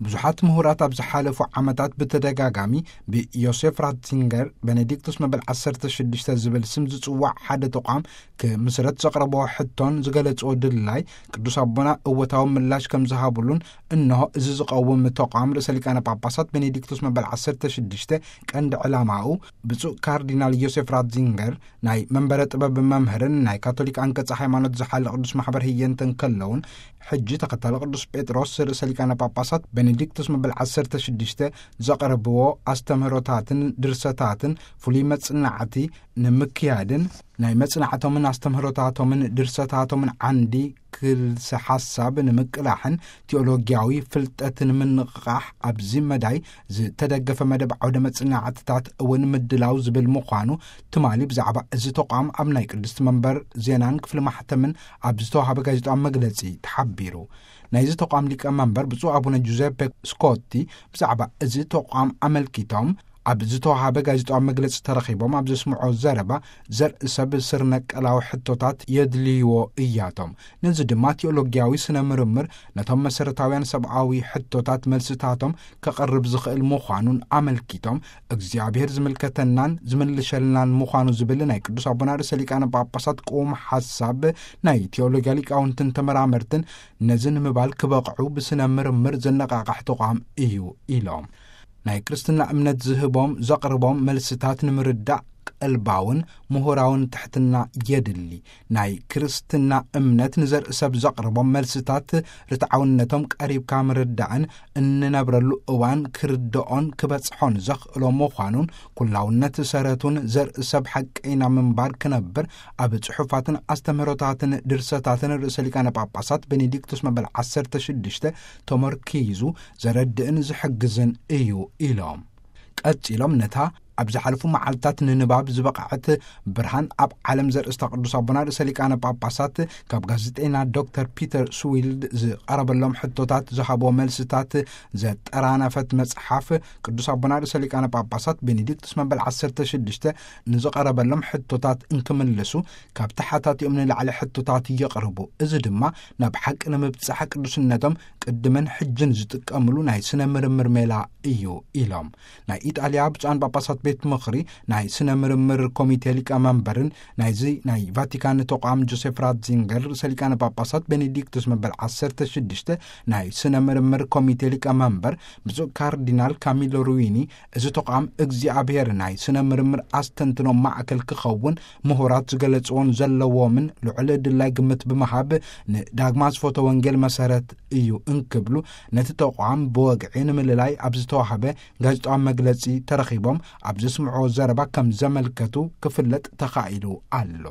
ብዙሓት ምሁራት ኣብ ዝሓለፉ ዓመታት ብተደጋጋሚ ብዮሴፍ ራትዚንገር ቤኔዲክቱስ መበል ዓሰርተ ሽዱሽተ ዝብል ስም ዝጽዋዕ ሓደ ተቋም ክምስረት ዘቕረቦ ሕቶን ዝገለጽዎ ድላይ ቅዱስ ኣቦና እወታዊ ምላሽ ከም ዝሃብሉን፣ እንሆ እዚ ዝቐውም ተቋም ርእሰ ሊቃነ ጳጳሳት ቤኔዲክቱስ መበል ዓሰርተ ሽዱሽተ ቀንዲ ዕላማኡ ብፁዕ ካርዲናል ዮሴፍ ራትዚንገር ናይ መንበረ ጥበብ መምህርን ናይ ካቶሊክ ኣንቀጸ ሃይማኖት ዝሓለ ቅዱስ ማሕበር ህየንተ እንከለውን፣ ሕጂ ተኸታሊ ቅዱስ ጴጥሮስ ርእሰ ሊቃነ ጳጳሳት ቤኔዲክቱስ መበል ዓሰርተ ሽዱሽተ ዘቕረብዎ ኣስተምህሮታትን ድርሰታትን ፍሉይ መጽናዕቲ ንምክያድን ናይ መጽናዕቶምን ኣስተምህሮታቶምን ድርሰታቶምን ዓንዲ ክልሰ ሓሳብ ንምቅላሕን ቲኦሎጊያዊ ፍልጠት ንምንቕቓሕ ኣብዚ መዳይ ዝተደገፈ መደብ ዓውደ መጽናዕትታት እውን ምድላው ዝብል ምዃኑ ትማሊ ብዛዕባ እዚ ተቋም ኣብ ናይ ቅድስቲ መንበር ዜናን ክፍሊ ማሕተምን ኣብ ዝተዋሃበ ጋዜጣዊ መግለጺ ተሓቢሩ። ናይዚ ተቋም ሊቀ መንበር ብፁዕ ኣቡነ ጁዘፔ ስኮቲ ብዛዕባ እዚ ተቋም ኣመልኪቶም ኣብ ዝተዋሃበ ጋዜጣዊ መግለጺ ተረኺቦም ኣብ ዘስምዖ ዘረባ፣ ዘርኢ ሰብ ስር ነቀላዊ ሕቶታት የድልይዎ እያቶም። ነዚ ድማ ቲኦሎጊያዊ ስነ ምርምር ነቶም መሰረታውያን ሰብኣዊ ሕቶታት መልስታቶም ከቕርብ ዝኽእል ምዃኑን ኣመልኪቶም፣ እግዚኣብሔር ዝምልከተናን ዝምልሸልናን ምዃኑ ዝብል ናይ ቅዱስ ኣቦና ርእሰ ሊቃነ ጳጳሳት ቅዉም ሓሳብ ናይ ቲኦሎጊያ ሊቃውንትን ተመራመርትን ነዚ ንምባል ክበቕዑ ብስነ ምርምር ዘነቓቕሕ ተቋም እዩ ኢሎም። ናይ ክርስትና እምነት ዝህቦም ዘቕርቦም መልስታት ንምርዳእ ቀልባውን ምሁራውን ትሕትና የድሊ። ናይ ክርስትና እምነት ንዘርኢ ሰብ ዘቕርቦም መልስታት ርትዓውነቶም ቀሪብካ ምርዳእን እንነብረሉ እዋን ክርድኦን ክበጽሖን ዘኽእሎ ምዃኑን፣ ኩላውነት ሰረቱን ዘርኢ ሰብ ሓቀይና ምንባር ክነብር ኣብ ጽሑፋትን ኣስተምህሮታትን ድርሰታትን ርእሰ ሊቃነ ጳጳሳት ቤኔዲክቱስ መበል ዓሰርተ ሽዱሽተ ተመርኪዙ ዘረድእን ዝሕግዝን እዩ ኢሎም። ቀጺሎም ነታ ኣብ ዝሓለፉ መዓልታት ንንባብ ዝበቕዐት ብርሃን ኣብ ዓለም ዘርእስታ ቅዱስ ኣቦና ርእሰ ሊቃነ ጳጳሳት ካብ ጋዜጠኛ ዶክተር ፒተር ስዊልድ ዝቐረበሎም ሕቶታት ዝሃብዎ መልስታት ዘጠራነፈት መጽሓፍ ቅዱስ ኣቦና ርእሰ ሊቃነ ጳጳሳት ቤኔዲክቱስ መበል ዓሰርተ ሽዱሽተ ንዝቐረበሎም ሕቶታት እንክምልሱ ካብ ተሓታቲኦም ንላዕሊ ሕቶታት የቕርቡ። እዚ ድማ ናብ ሓቂ ንምብጻሕ ቅዱስነቶም ቅድምን ሕጅን ዝጥቀምሉ ናይ ስነ ምርምር ሜላ እዩ ኢሎም። ናይ ኢጣልያ ብፁዓን ጳጳሳት ቤት ምኽሪ ናይ ስነ ምርምር ኮሚቴ ሊቀመንበርን ናይዚ ናይ ቫቲካን ተቋም ጆሴፍ ራትዚንገር ርእሰ ሊቃነ ጳጳሳት ቤኔዲክቱስ መበል ዓሰርተ ሽዱሽተ ናይ ስነ ምርምር ኮሚቴ ሊቀመንበር ብፁዕ ካርዲናል ካሚሎ ሩዊኒ፣ እዚ ተቋም እግዚኣብሔር ናይ ስነ ምርምር ኣስተንትኖ ማእከል ክኸውን ምሁራት ዝገለጽዎን ዘለዎምን ልዑል ድላይ ግምት ብምሃብ ንዳግማ ዝፎቶ ወንጌል መሰረት እዩ እንክብሉ፣ ነቲ ተቋም ብወግዒ ንምልላይ ኣብ ዝተዋህበ ጋዜጣዊ መግለጺ ተረኺቦም ኣብ ዘስምዕዎ ዘረባ ከም ዘመልከቱ ክፍለጥ ተኻኢሉ ኣሎ።